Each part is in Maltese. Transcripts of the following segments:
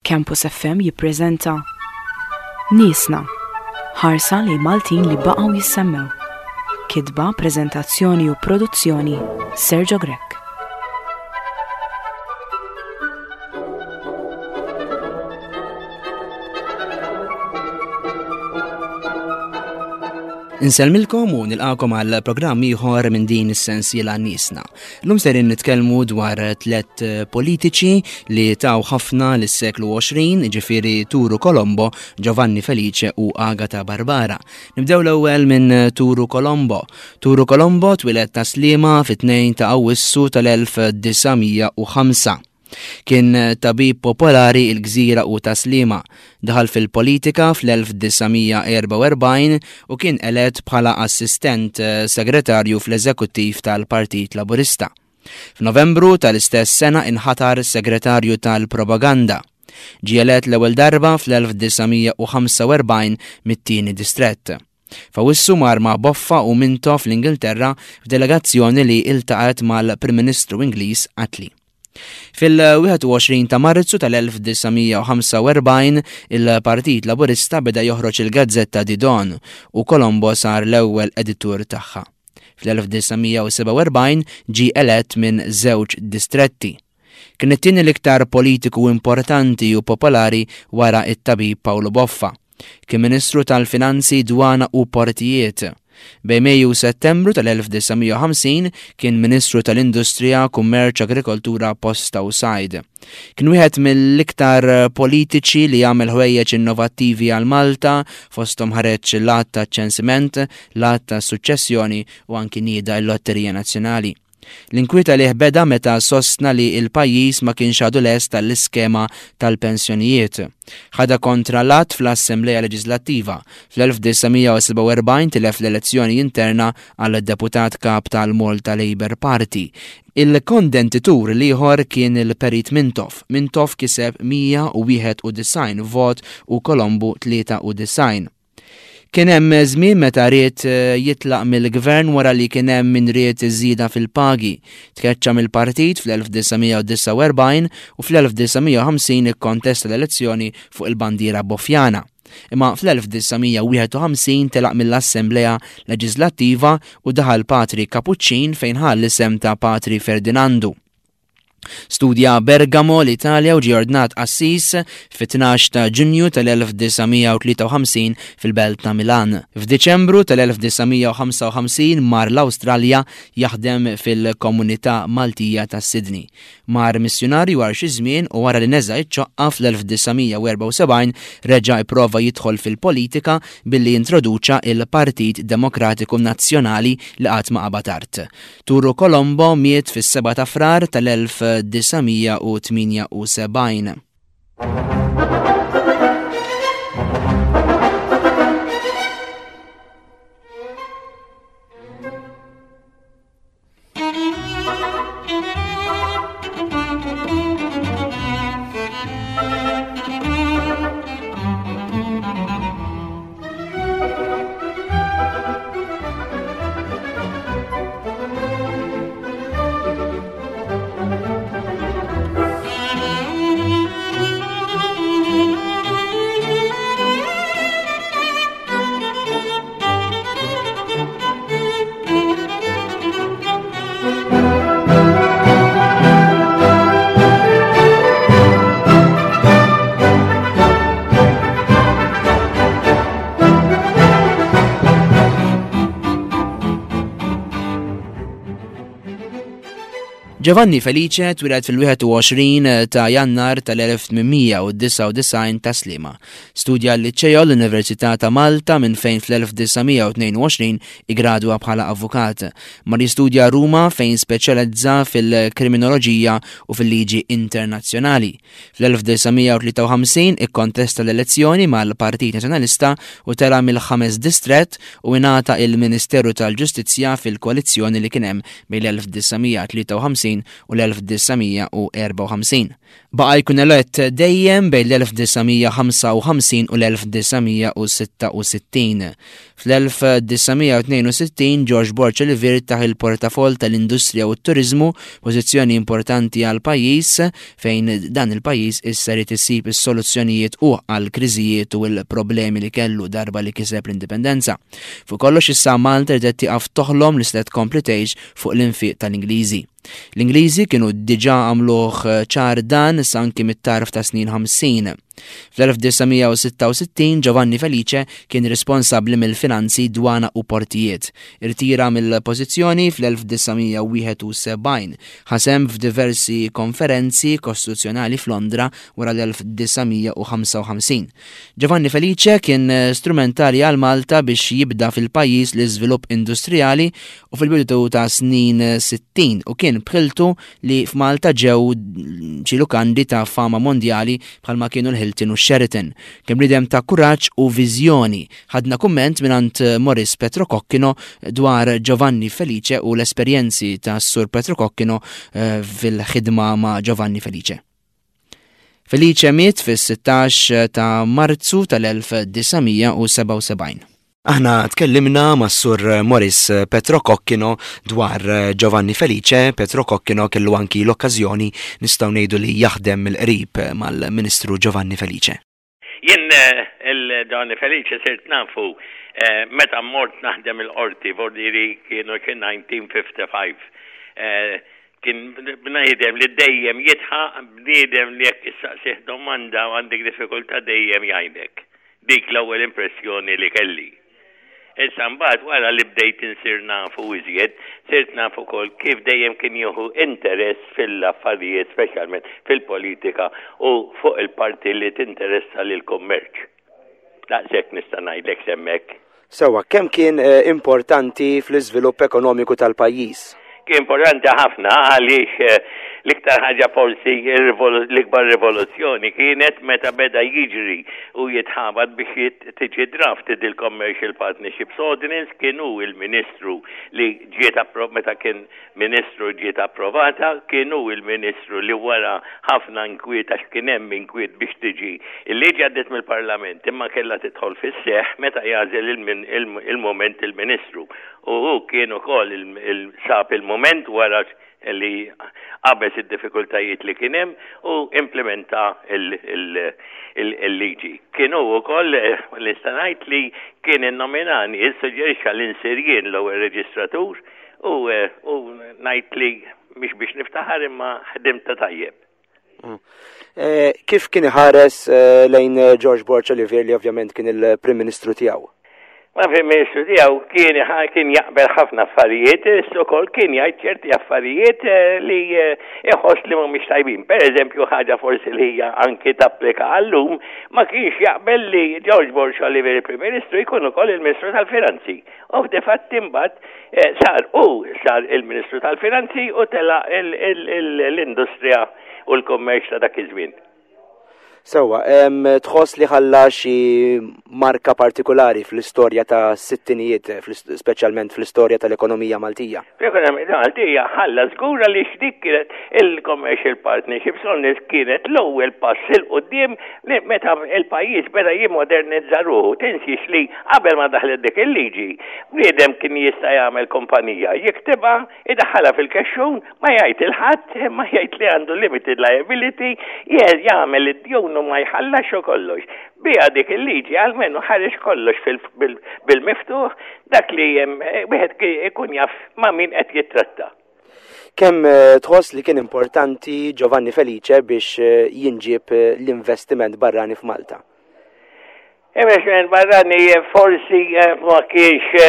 Campus FM jippreżenta Niesna, ħarsa lejn Maltin li baqgħu jissemmew. Kitba, preżentazzjoni u produzzjoni Sergio Grech. Insellmilkom u nilqakom għal programm ieħor minn din is-sensiela Niesna. Lum serin nitkellmu dwar tlet eh, politiċi li taw ħafna lis-seklu 20, ġifieri Turu Colombo, Giovanni Felice u Agata Barbara. Nibdew l-ewwel minn Turu Colombo. Turu Colombo twieled ta' Sliema fit-2 ta' Awwissu tal-1905. Kien tabib popolari il-Gżira u ta' Sliema. Daħal fil-politika fl-1944 u kien elett bħala assistent segretarju fl-eżekuttiv tal-Partit Laburista. F'Novembru tal-istess sena inħatar segretarju tal-propaganda. Ġie elett l-ewwel darba fl-1945 mit-tieni distrett. F'Awwissu mar ma' Boffa u Mintoff l-Ingilterra f'delegazzjoni li iltaqgħet mal-Prim Ministru Ingliż Attlee. Fil-21 ta' Marzu tal-1945 il-Partit Laburista beda joħroġ il-gazzetta The Dawn u Colombo sar l-ewwel editur tagħha. Fl-1947 ġie elett minn żewġ distretti. Kien it-tieni l-iktar politiku importanti u popolari wara t-tabib Paolo Boffa. Kien Ministru tal-Finanzi, Dwana u Portijiet. Bejn Mejju u Settembru tal-1950 kien Ministru tal-Industrija, Kummerċ, Agrikoltura, Posta u Sajd. Kien wieħed mill-iktar politiċi li għamel ħwejjeġ innovattivi għal Malta, fosthom ħareġ l-Att taċ-Ċensiment, l-Att tas-Suċċessjoni u anki nieda l-Lotterija Nazzjonali. L-inkwiet għalih beda meta sostna li l-pajjiż ma kienx għadu lest għall-iskema tal-pensjonijiet. Ħadha kontra l-att fl-Assemblea Leġiżlattiva. Fl-1947 tilef l-elezzjoni interna għal Deputat Kap tal-Malta Labour Party. Il-kondentitur l-ieħor kien il-Perit Mintoff. Mintoff kiseb 191 vot u Colombo 93. Kien hemm żmien meta ried eh, jitlaq mill-gvern wara li kien hemm min ried iż-żieda fil-pagi. Tkeċċa mill-partit fl-1949 u fl-1950 ikkontesta l-elezzjoni fuq il-bandiera Bofjana. Imma fl-1951 telaq mill-Assemblea Leġislattiva u daħal Patri Kapuċċin fejn ħa l-isem ta' Patri Ferdinandu. Studja Bergamo, l-Italja u ġie ordnat qassis fit-12 ta' Ġunju tal-1953 fil-belt ta' Milan. F'Diċembru tal-1955 mar l-Awstralja jaħdem fil-komunità Maltija ta' Sydney. Mar missjunarju għal xi żmien u wara li neża' iċ-ċoqqa fl-1974 reġa' ipprova jidħol fil-politika billi introduċa il-Partit Demokratiku Nazzjonali li qatt ma qabad art. Turu Colombo miet fis-7 ta' Frar tal-1978. Giovanni Felice twieled fil-21 ta' Jannar tal-1899 ta' Sliema. Studja l-Liċeo l-Università ta' Malta minn fejn fl-1922 igradwa bħala avukat. Mar jistudja Ruma fejn speċjalizza fil-kriminoloġija u fil-liġi internazzjonali. Fl-1953 ikkontesta l-elezzjoni mal-Partit Nazzjonalista u tela' mill-ħames distrett u ingħata il-Ministeru tal-Ġustizzja fil-koalizzjoni li kien hemm bejn l-1953 1952 u l-1954. Baqa' jkun elett dejjem bejn l-1955 u l-1966. Fl-1962 Ġorġ Borg Olivier tah il-portafoll tal-Industrija u t-Turiżmu, pożizzjoni importanti għall-pajjiż fejn dan il-pajjiż issa ried isib is-soluzzjonijiet hu għall-kriżijiet u l-problemi li kellu darba li kiseb l-Indipendenza. Fuq kollox issa Malta riedet tieqaf toħlom li setgħet tkompli tgħix fuq l-infiq tal-Ingliżi. L-Ingliżi kienu diġà għamluh ċar dan sa anki mit-tarf tas-snin 50. Fl-1966 Giovanni Felice kien responsabbli mill-finanzi, dwana u portijiet. Irtira mill-pożizzjoni fl-1971. Ħa sehem f'diversi konferenzi kostituzzjonali f'Londra wara l-1955. Giovanni Felice kien strumentali għal Malta biex jibda fil-pajjiż l-iżvilupp industrijali u fil-bidu ta' snin 60 u kien b'ħiltu li f'Malta ġew xi lukandi ta' fama mondjali bħalma kienu l-Hilton u x-Sheraton. Kien bniedem ta' kuraġġ u viżjoni. Ħadna kumment mingħand Maurice Petrococchino dwar Giovanni Felice u l-esperjenzi tas-Sur Petrococchino eh, fil-ħidma ma' Giovanni Felice. Felice miet fis-16 ta' Marzu tal-1977. Aħna tkellimna mas-Sur Maurice Petrococchino dwar Giovanni Felice. Petrococchino kellu anki l-okkażjoni nistgħu ngħidu li jaħdem mill-qrib mal-Ministru Giovanni Felice. Jien il-Giovanni Felice sirt nafu meta mort naħdem il-qorti, vordieri kienu xi 1955. Kien bniedem li dejjem jidħaq, bniedem li jekk issaqsih domanda u għandek diffikultà dejjem jgħinek. Dik l-ewwel impressjoni li kelli. Issa mbagħad wara li bdejt insir nafu iżjed, sirt naf ukoll kif dejjem kien jieħu interess fil-affarijiet speċjalment fil-politika u fuq il-parti li tinteressa lill-kummerċ. Daqshekk nista' ngħidlek s'hemmhekk. Sewwa, kemm kien importanti fl-iżvilupp ekonomiku tal-pajjiż? Kien importanti ħafna għaliex l-iktar ħaġa forsi l-ikbar rivoluzzjoni kienet meta beda jiġri u jitħabat biex tiġi drafted il-Commercial Partnerships Ordinance, kien hu il-Ministru li ġiet meta kien Ministru ġiet approvata, kien hu il-Ministru li wara ħafna inkwiet għax kien hemm inkwiet biex tiġi il-liġi għaddiet mill-Parlament imma kellha tidħol fis-seħħ meta jagħżel il-mument il-Ministru. U hu kien ukoll sab il-mument wara li qabeż id-diffikultajiet li kien hemm u implimenta il-liġi. Kien hu wkoll nista' ngħid li kien innominani, issuġġerixxa li nsir jien l-ewwel reġistratur U ngħid li mhix biex niftaħar imma ħdimt ta' tajjeb. Mm. Eh, kif kien iħares eh, lejn eh, George Borg Olivier li ovvjament kien il-Prim Ministru tiegħu? Ma Prim Ministru tiegħu kien kien jaqbel ħafna affarijiet, ukoll kien jgħid ċerti affarijiet li iħoss li mhumiex tajbin. Per eżempju, ħaġa forsi li hija anki tapplika għallum, ma kienx jaqbel li George Borg Olivier il-Prim Ministru jkun ukoll il-Ministru tal-Finanzi. U difatti mbagħad eh, sar u sar il-Ministru tal-Finanzi u tela l-industrija u l-kummerċ ta' dak iż-żmien. Sewwa, tħoss li ħalla xi marka partikolari fl-istorja ta' sittinijiet, speċjalment fl-istorja tal-ekonomija Maltija? L-ekonomija Maltija ħalla żgur għaliex dik kienet il-Commercial Partnerships Ordinance kienet l-ewwel pass 'il quddiem li meta il-pajjiż beda jimmodernizza ruħu. Tinsiex li qabel ma daħlet dik il-liġi, bniedem kien jista' jagħmel kumpanija, jiktibha, idaħħalha fil-kexxun, ma jgħid 'il ħadd, imma jgħid li għandu limited liability, jagħmel id-djun u ma jħallasx u kollox. Biha dik il-liġi almenu ħareġ kollox bil-miftuħ, dak li wieħed ikun jaf ma' min qed jittratta. Kemm tħoss li kien importanti Giovanni Felice biex jinġieb l-investiment barrani f'Malta? Investiment barrani forsi ma kienx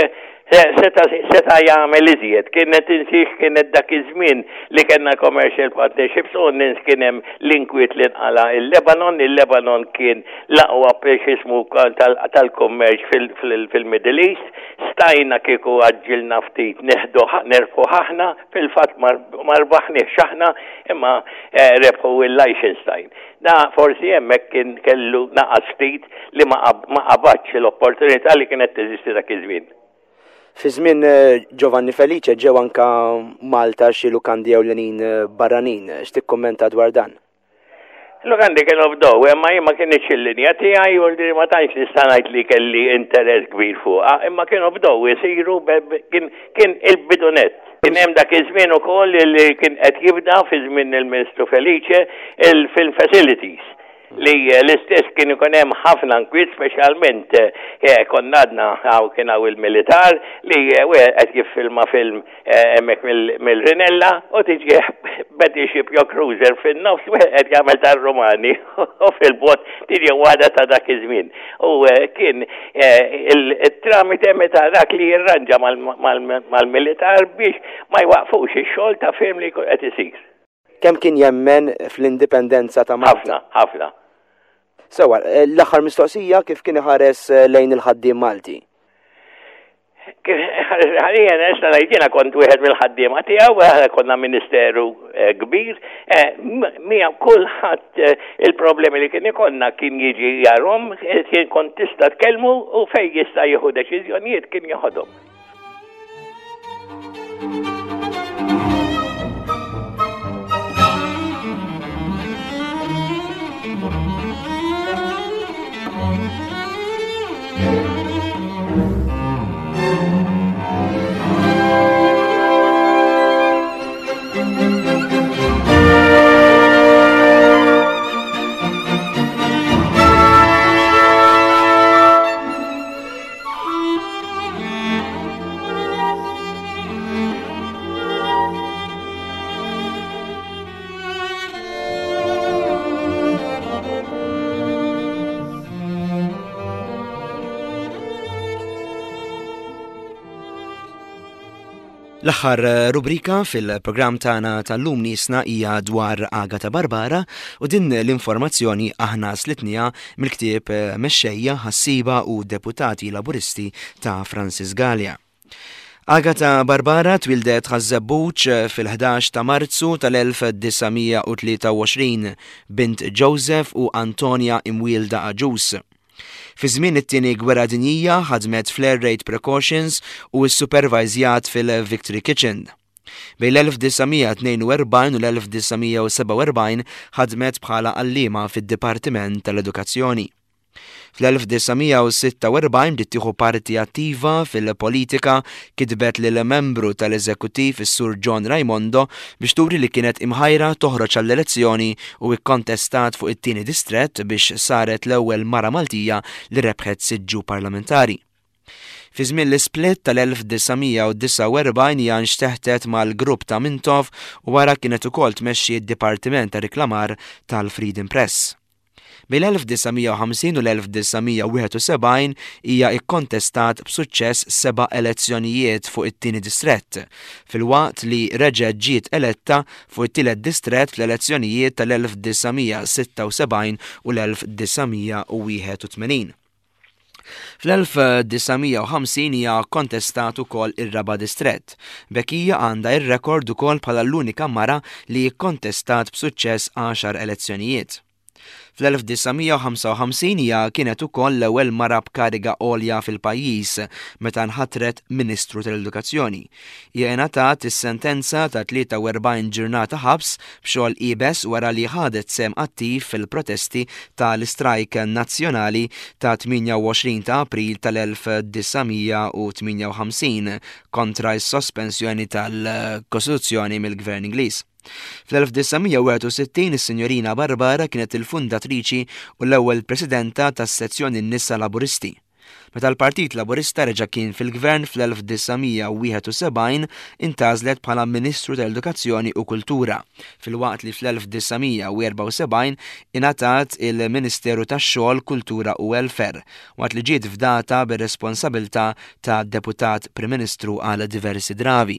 seta' jagħmel iżjed. Kienet tinsiex kienet dak iż-żmien li kellna commercial partnerships u nies kien hemm l-inkwiet li nqala il-Lebanon, il-Lebanon kien l-aqwa x'ismu tal-kummerċ fil-Middle East. Stajna kieku għaġġilna ftit neħduh nerbħuh aħna, fil-fatt ma rbaħniex aħna imma eh, rebħu il-Liechtenstein. Da forsi hemmhekk kien kellu naqas ftit li ma qabadx l-opportunità li kienet teżisti dak iż-żmien. Fi żmien Giovanni Felice ġew anka Malta xi lukandi ewlenin barranin. X'tikkummenta dwar dan? Lukandi kienu bdew, imma jien ma kinitx il-linja tiegħi u li ma tantx nista' ngħid li kelli interess kbir fuqha, imma kienu bdew isiru kien kien il-bidu nett. Kien hemm dak iż-żmien ukoll li kien qed jibda fi żmien il-Ministru Felice il-film facilities li l-istess kien ikun hemm ħafna nkwiet speċjalment eh, konna għadna hawn kien hawn il-militar li eh, wieħed qed jiffilma film eh, hemmhekk mill-Rinella u tiġi battleship jew cruiser fin-nofs wieħed qed jagħmel tar-Rumani u fil-bot tiġi waħda ta' dak iż-żmien. U kien il-tramite meta dak li jirranġa mal-militar biex ma jwaqfux ix-xogħol ta' film li jkun qed isir. Kemm kien jemmen fl-indipendenza ta' Malta? Ħafna, ħafna. Sewa, eh, l-aħħar mistoqsija kif kien iħares eh, lejn il-ħaddiem Malti? Ħalija nista' ngħid jiena kont wieħed mill-ħaddiema tiegħu, aħna konna ministeru eh, kbir, miegħu kulħadd il-problemi li kien ikollna kien jiġi jarhom, kien kont tista' tkellmu u fejn jista' jieħu deċiżjonijiet kien jeħodhom. L-aħħar eh, rubrika fil-programm tagħna tal-lum nisna hija dwar Agata Barbara u din l-informazzjoni aħna slitnija mill-ktieb eh, Mexxejja, Ħassiba u Deputati Laburisti ta' Francis Galea. Agata Barbara twieldet Ħaż-Żebbuġ fil-ħdax ta' Marzu tal-1923, bint Joseph u Antonia imwielda Agius. Fi żmien it-Tieni Gwerra Dinjija ħadmet fl-Air Raid Precautions u ssupervajżjat fil-Victory Kitchen. Bejn l-1942 u l-1947 ħadmet bħala għalliema fid-Dipartiment tal-Edukazzjoni. Fl-1946 bdiet tieħu parti attiva fil-politika, kitbet lil membru tal-eżekuttiv is-Sur John Raimondo biex turi li kienet imħajra toħroġ għall-elezzjoni u kkontestat fuq it-tieni distrett biex saret l-ewwel mara Maltija li rebħet siġġu parlamentari. Fi żmien l-isplit tal-1949 hija nxteħtet mal-grupp ta' Mintoff u wara kienet ukoll tmexxi d-dipartiment ta' riklamar tal-Freedom Press. Bejn l-1950 u l-1971 hija kkontestat b'suċċess seba' elezzjonijiet fuq it-tieni distrett, filwaqt li reġgħet ġiet eletta fuq it-tielet distrett fl-elezzjonijiet tal-1976 u l-1981. Fl-1950 hija kkontestat ukoll ir-raba' distrett. B'hekk hija għandha r-rekord ukoll bħala l-unika mara li kkontestat b'suċċess għaxar elezzjonijiet. Fl-1955 hija kienet ukoll l-ewwel mara b'kariga għolja fil-pajjiż meta nħatret Ministru tal-Edukazzjoni. Hija ingħatat is-sentenza ta' 43 ġurnata ħabs b'xogħol iebes wara li ħadet sehem attiv fil-protesti ta' l-istrajk nazzjonali ta' 28 ta' April tal-1958 kontra s-sospensjoni tal-Kostituzzjoni mill-Gvern Ingliż. Fl-1961 is-Sinjorina Barbara kienet il-fundatriċi u l-ewwel Presidenta tas-Sezzjoni Nisa Laburisti. Meta l-Partit Laburista reġa' kien fil-Gvern fl-1971 intgħażlet bħala Ministru tal-Edukazzjoni u Kultura, filwaqt li fl-1974 ingħatat il-Ministeru tax-Xogħol, Kultura u Welfare, waqt li ġiet fdata bir-responsabilità ta' Deputat Prim Ministru għal diversi drabi.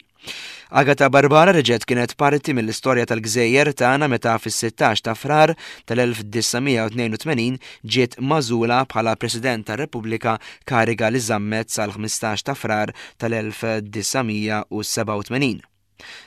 Agata Barbara reġgħet kienet parti mill-istorja tal-gżejjer tagħna meta fis-16 ta' Frar tal-1982 ġiet magħżula bħala President tar-Repubblika kariga li żammet sal-15 ta' Frar tal-1987.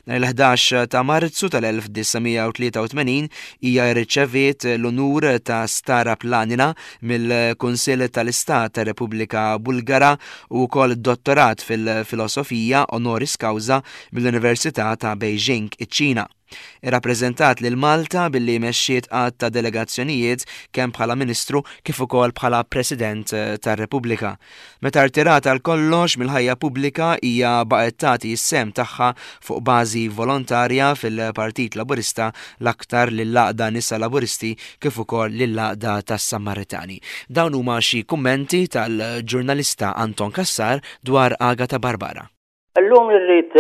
Nhar il-11 ta' Marzu tal-1983 hija rċeviet l-unur ta' Stara Planina mill-Kunsill tal-Istat tar-Repubblika Bulgara u wkoll dottorat fil-Filosofija honoris causa mill-Università ta' Beijing, iċ-Ċina. Irrappreżentat lil Malta billi mexxiet għadd ta' delegazzjonijiet kemm bħala Ministru kif ukoll bħala President tar-Repubblika. Meta rtirat għal kollox mill-ħajja pubblika hija baqgħet tagħti s-sehem tagħha fuq bażi volontarja fil-Partit Laburista l-aktar lill-Għaqda Nisa Laburisti kif ukoll lill-Għaqda tas-Sammaritani. Dawn huma xi kummenti tal-ġurnalista Anton Cassar dwar Agata Barbara. Illum irrid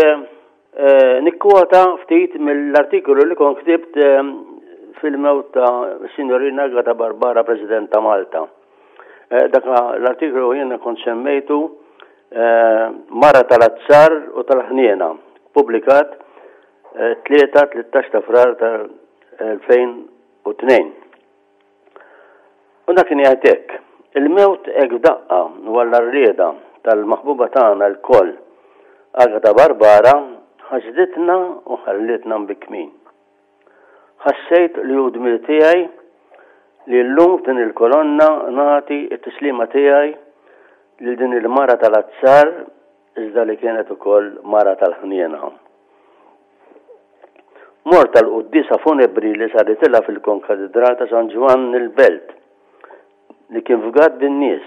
nikkwota ftit mill-artikolu li kont ktibt fil-mewt ta' Signorina Agata Barbara, President ta' Malta. Dak l-artikolu jiena kont semmejtu Mara tal-Azzar u tal-Ħniena, publikat 3 13 ta' Frar tal-2002. U dak kien jgħid hekk, Il-mewt hekk f'daqqa u għall-għarrieda tal-maħbuba tagħna lkoll, Agata Barbara, ħasditna u ħallietna mbikkmin. Ħassejt li hu dmir tiegħi li llum f'din il-kolonna nagħti t-tislima tiegħi lil din il-mara tal-azzar iżda li kienet ukoll mara tal-ħniena. Mort għall-quddiesa funebri li saritilha fil-Konkatidral ta' San Ġwann il-Belt, li kien fgat bin-nies,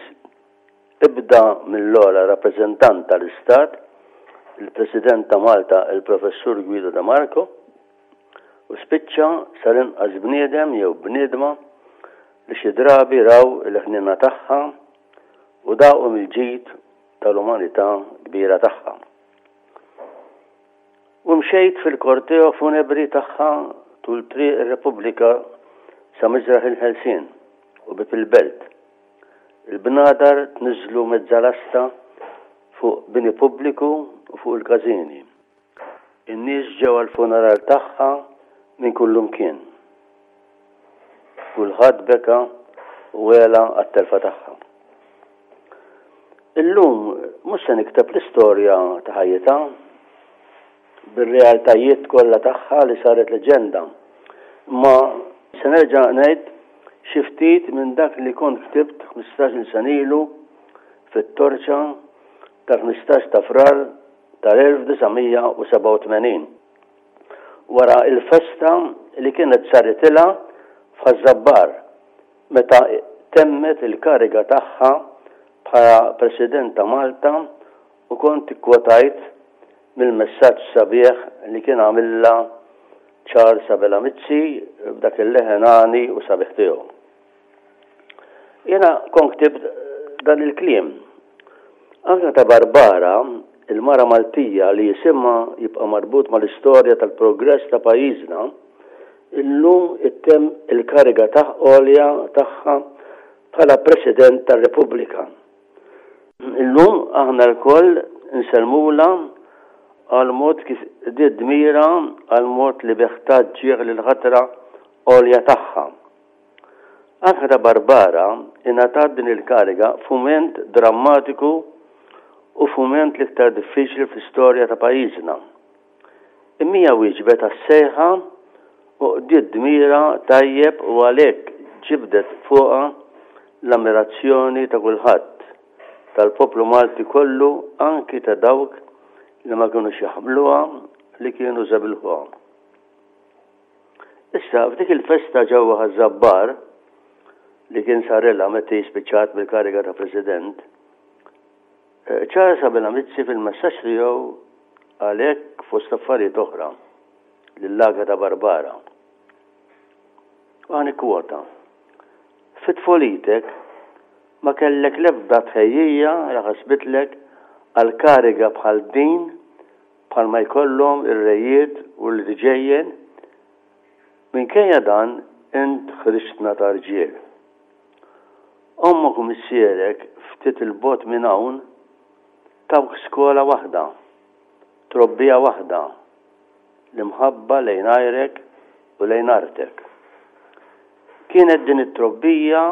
ibda mill-ogħla rappreżentant tal-Istat, il-President ta' Malta il-Professur Guido de Marco, u spiċċa sal-inqas bniedem jew bniedma li xi drabi raw il-ħniena tagħha u daqu mill-ġid tal-umanità kbira tagħha. U mxejt fil-korteo funebri tagħha tul Triq ir-Repubblika sa Miżraħ il-Ħelsien u Bieb il-Belt. Il-bnadar tniżżlu mezzalasta fuq bini pubbliku u fuq il-każini. In-nies ġew għall-funeral tagħha minn kullumkien. Kulħadd beka u għela għat-telfa tagħha. Illum mhux se nikteb l-istorja ta' ħajjitha bir-realtajiet kollha tagħha li saret leġenda, imma se nerġa' ngħid xi ftit minn dak li kont ktibt 15-il sena ilu fit-Torċa tal-15 ta' Frar tal-1987, wara l-festa li kienet saritilha f'Ħaż-Żabbar meta temmet il-kariga tagħha bħala President ta' Malta u kont ikkwotajt mill-messaġġ sabiħ li kien għamilha Charles Abela Mizzi b'dak il-leħen għani u sabiħ tiegħu. Jiena kont ktibt dan il-kliem. Agata Barbara, il-mara Maltija li isimha jibqa' marbut mal-istorja tal-progress ta' pajjiżna, illum ittemm il-kariga ta' għolja tagħha bħala President tar-Repubblika. Illum aħna lkoll insellmulha għall-mod kif qdiet dmirha, għall-mod li bih tat ġieħ lill-ħatra għolja tagħha. Agata Barbara ingħatat din il-kariga f'mument drammatiku u f'mument l-iktar diffiċli fl-istorja ta' pajjiżna. Imma hija wieġbet għas-sejħa u qdiet dmirha tajjeb u għalhekk ġibdet fuqha l-ammirazzjoni ta' kulħadd, tal-poplu Malti kollu anki ta' dawk li ma kinux jaħmluha li kienu żebilħuha. Issa, f'dik il-festa ġewwa Ħaż-Żabbar li kien sarilha meta hi spiċċat mill-kariga ta' President, Charles Abela Mizzi fil-messaġġ tiegħu qal hekk fost affarijiet oħra lil Agata Barbara. U ħa nikkwota, Fi tfulitek ma kellek l-ebda tħejjija li ħasbitlek għal kariga bħal din bħalma jkollhom ir-rejiet u l-irġejjen, minkejja dan int ħriġtna ta' rġiel. Ommok u missierek ftit 'il bogħod minn hawn tawk skola waħda, trobbija waħda, l-imħabba lejn għajrek u lejn artek. Kienet din it-trobbija,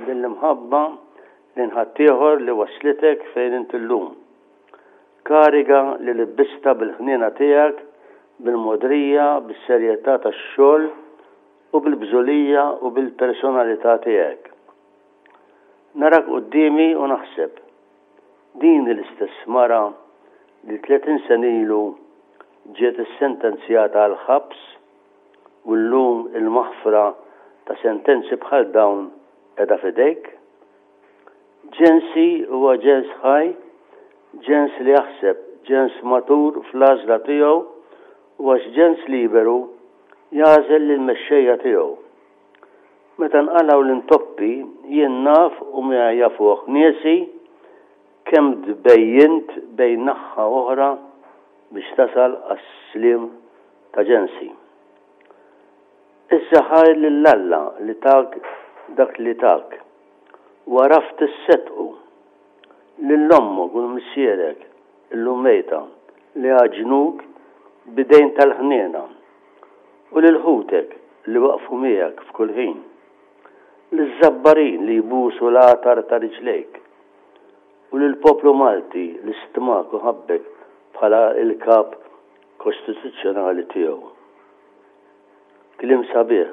din l-imħabba lejn ħaddieħor li wasslitek fejn int illum. Kariga li libbistha bil-ħniena tiegħek. bil-mogħdrija, bis-serjetà tax-xogħol u bil-bżulija u bil-personalità tiegħek. Narak quddiemi u naħseb, din hi l-istess mara li 30 sena ilu ġiet issentenzjata għall-ħabs u llum il-maħfra ta' sentenzi bħal dawn qiegħda f'idejk? Ġensi huwa ġens ħaj, ġens li jaħseb, ġens matur fl-għażla tiegħu u għax ġens liberu jagħżel lill-mexxejja tiegħu. Meta nqalgħu l-intoppi jien naf u miegħi jafuh niesi kemm tbejjint bejn naħha u oħra biex tasal għas-sliem ta' ġensi. Issa ħajr lil Alla li tak dak li tak u għaraft isseddqu. Lil ommok u 'l missierek, illum mejta, li għaġnuk b'idejn tal-ħniena, u lil ħutek li waqfu miegħek f'kull ħin. Liż-Żabbarin li jbusu l-għatar ta' riġlejk, u lill-poplu Malti li stmak u ħabbek bħala l-kap kostituzzjonali tiegħu. Kliem sabiħ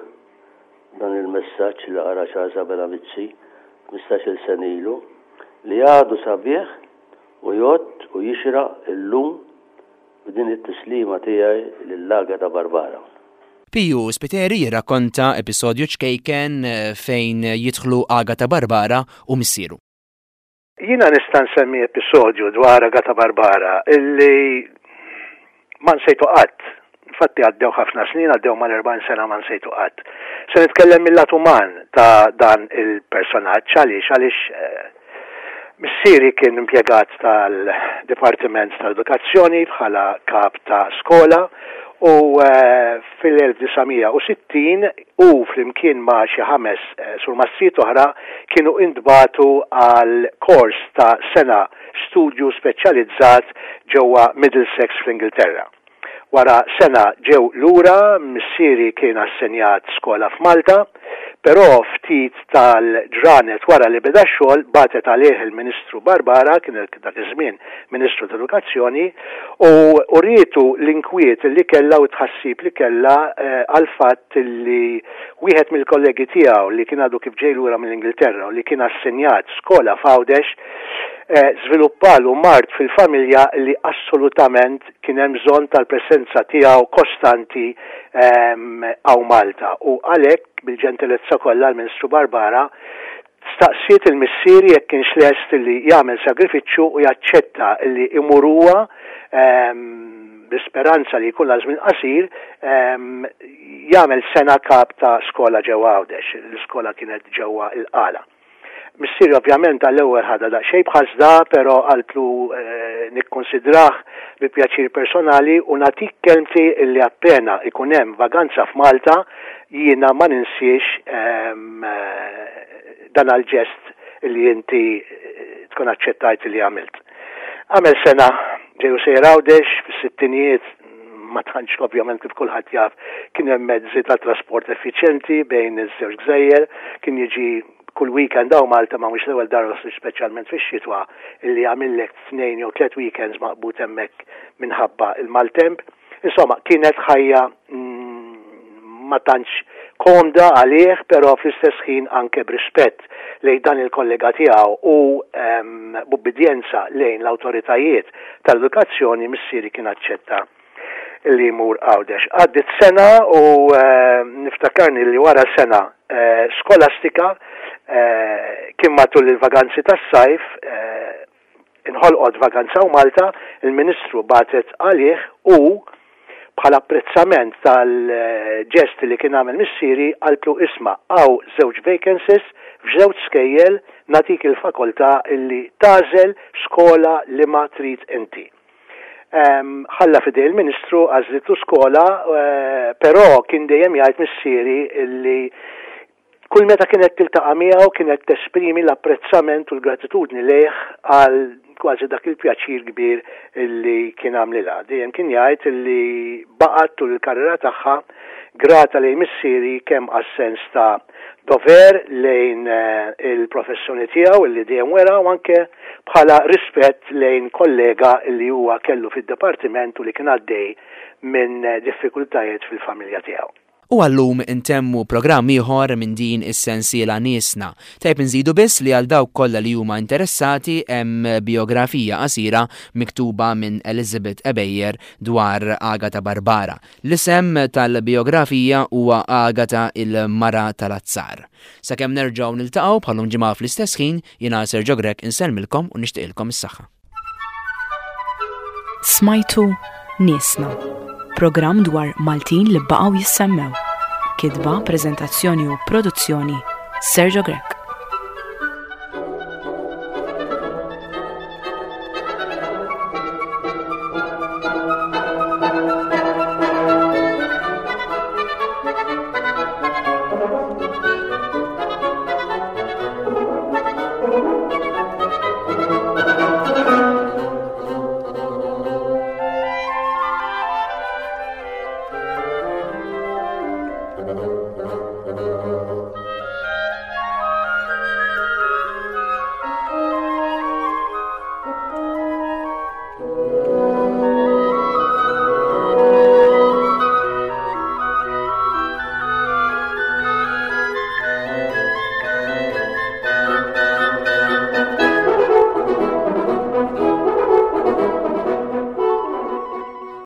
dan il-messaġġ li qara Charles Abela Mizzi 15-il sena ilu, li għadu sabiħ u jgħodd u jixraq illum b'din it-tislima tiegħi lil Agata Barbara. Piju Spiteri jirrakkonta episodju ċkejken fejn jidħlu Agata Barbara u missieru. Jiena nista' nsemmi episodju dwar Agata Barbara illi ma nsejtu qatt. Infatti għaddew ħafna snin, għaddew mal-40 sena ma nsejtu qatt. Se nitkellem mill-lat uman ta' dan il-personaġġ għaliex għaliex eh, missieri kien impjegat tal-Dipartiment tal-Edukazzjoni bħala kap ta' skola u eh, fil-1960 hu flimkien ma' xi ħames surmastrijiet oħra kienu intbagħtu għal kors ta' sena studju speċjalizzat ġewwa Middlesex fl-Ingilterra. Wara sena ġew lura, missieri kien assenjat skola f'Malta, però ftit tal-ġranet wara li beda x-xogħol bagħtet għalih il-Ministru Barbara, kien dak iż-żmien Ministru tal-Edukazzjoni, u urietu l-inkwiet li kellha u t-tħassib li kellha għall-fatt li wieħed mill-kollegi tiegħu li kien għadu kif ġej lura mill-Ingilterra u li kien assenjat skola f'Għawdex żviluppalu mard fil-familja li assolutament kien hemm bżonn tal-presenza tiegħu kostanti hawn Malta u għalhekk bil-ġentilezza kollha l-Ministru Barbara Staqsiet 'il missieri jekk kienx lest li jagħmel sagrifiċċju u jaċċetta li jmur huwa, bl-isperanza li jkun għal żmien qasir, jagħmel sena kap ta' skola ġewwa Għawdex. L-iskola kienet ġewwa l-Qala. Missieri ovvjament għall-ewwel ħadha daqsxejn b'ħasda, però qaltlu nikkunsidrah bi pjaċir personali u nagħtik kelmti li appena jkun hemm vaganza f'Malta Jiena ma ninsiex dan għall-ġest li inti tkun aċċettajt li għamilt. Għamel sena ġej u sejjer Għawdex fis-sittinijiet ma tantx ovvjament kif kulħadd jaf kien hemm mezzi ta' trasport effiċjenti bejn iż-żewġ gżejjer, kien jiġi kull weekend hawn Malta ma mhux l-ewwel darba speċjalment fix-xitwa illi jagħmillek tnejn jew tliet weekends maqbud hemmhekk minħabba il-maltemp. Insomma, kienet ħajja ma tantx komda għalih, però fl-istess ħin anke b'rispett lejn dan il-kollega tiegħu u ehm, b'ubbidjenza lejn l-awtoritajiet tal-edukazzjoni missieri kien aċċetta li jmur Għawdex. Għaddit sena u ehm, niftakarni li wara sena eh, skolastika eh, kien matul il-vaganzi tas-sajf eh, Inħolqot vaganza hawn Malta, il-Ministru bagħtet għalih u bħala apprezzament tal-ġest li kien għamel missieri qaltlu isma' hawn żewġ vacancies f'żewġ skejjel nagħtik il-fakoltà illi tagħżel skola liema trid inti. Ħalla f'idej il-Ministru għażlitlu skola però kien dejjem jgħid missieri illi Kull meta kienet tiltaqa' miegħu kienet tesprimi l-apprezzament u l-gratitudni lejh għal kważi dak il-pjaċir kbir li kien għamlilha. Dejjem kien jgħid li baqgħet tul il-karriera tagħha grata lejn missieri kemm għas-sens ta' dover lejn il-professjoni tiegħu illi dejjem wera u anke bħala rispett lejn kollega illi huwa kellu fid-dipartiment u li kien għaddej minn diffikultajiet fil-familja tiegħu. U għal-lum intemmu programm ieħor minn din is-sensiela Niesna. Tajjeb inżidu biss li għal dawk kollha li huma interessati hemm bijografija qasira miktuba minn Elizabeth Ebejer dwar Agata Barbara. L-isem tal-bijografija huwa Agata il-Mara tal-Azzar. Sakemm nerġgħu niltaqgħu bħal-lum ġimgħa fl-istess ħin, jiena Sergio Grech insellmilkom u nixtieqilkom is-saħħa. Smajtu Niesna, programm dwar Maltin li baqgħu jissemmew. Kitba, preżentazzjoni u produzzjoni Sergio Grech.